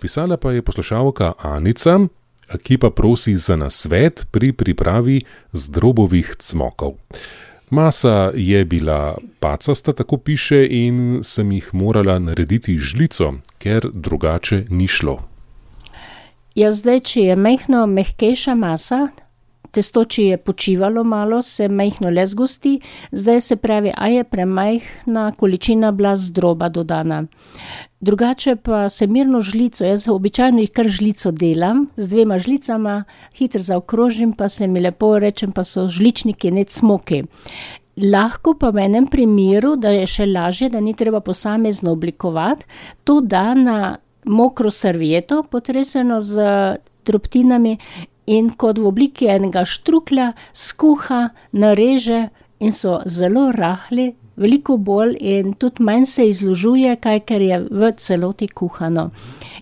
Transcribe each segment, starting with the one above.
Pisala pa je poslušalka Anica, ki pa prosi za nasvet pri pripravi zdrobovih cmokov. Masa je bila pacasta, tako piše, in sem jih morala narediti žlico, ker drugače ni šlo. Ja, zdaj, če je majhno mehkejša masa, testo, če je počivalo malo, se majhno le zgosti, zdaj se pravi, a je premajhna količina bila zdroba dodana. Drugače pa se mirno žlico, jaz običajno jih kar žlico delam, z 2 žlicama, hitro zaokrožim, pa se mi lepo rečem, pa so žličniki, ne cmoki. Lahko pa v enem primeru, da je še lažje, da ni treba posamezno oblikovati, to da na mokro servieto, potreseno z drobtinami, in kot v obliki enega štruklja skuha, nareže in so zelo rahli, veliko bolj in tudi manj se izložuje, kaj ker je v celoti kuhano.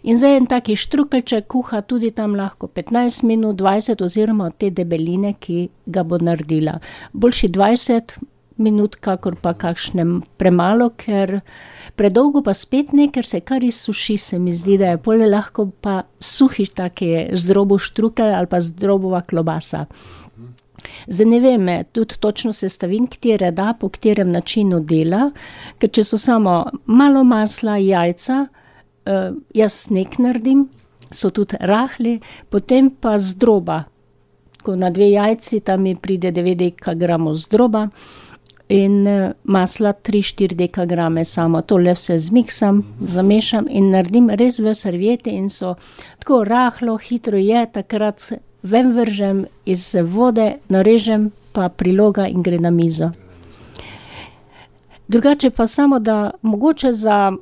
In zdaj en taki štrukeljček kuha tudi tam lahko 15 minut, 20 oziroma te debeline, ki ga bo naredila. Boljši 20 minut, kakor pa kakšnem premalo, ker predolgo pa spet ne, ker se kar izsuši, se mi zdi, da je polje lahko pa suhi taki zdrobov štrukelj ali pa zdrobova klobasa. Zdaj ne vem, tudi točno sestavin, katere da, po katerem načinu dela, ker če so samo malo masla, jajca, jaz nek naredim, so tudi rahli, potem pa zdroba. Ko na 2 jajci, tam mi pride 9 dekagramov zdroba, in masla 3-4 dekagrame samo. To le vse zmiksam, zamešam in naredim res v servieti in so tako rahlo, hitro je, takrat ven vržem iz vode, narežem, pa priloga in gre na mizo. Drugače pa samo, da mogoče za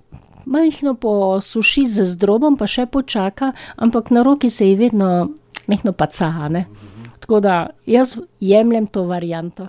majhno posuši z zdrobom, pa še počaka, ampak na roki se ji vedno majhno paca, ne? Tako da jaz jemljem to varianto.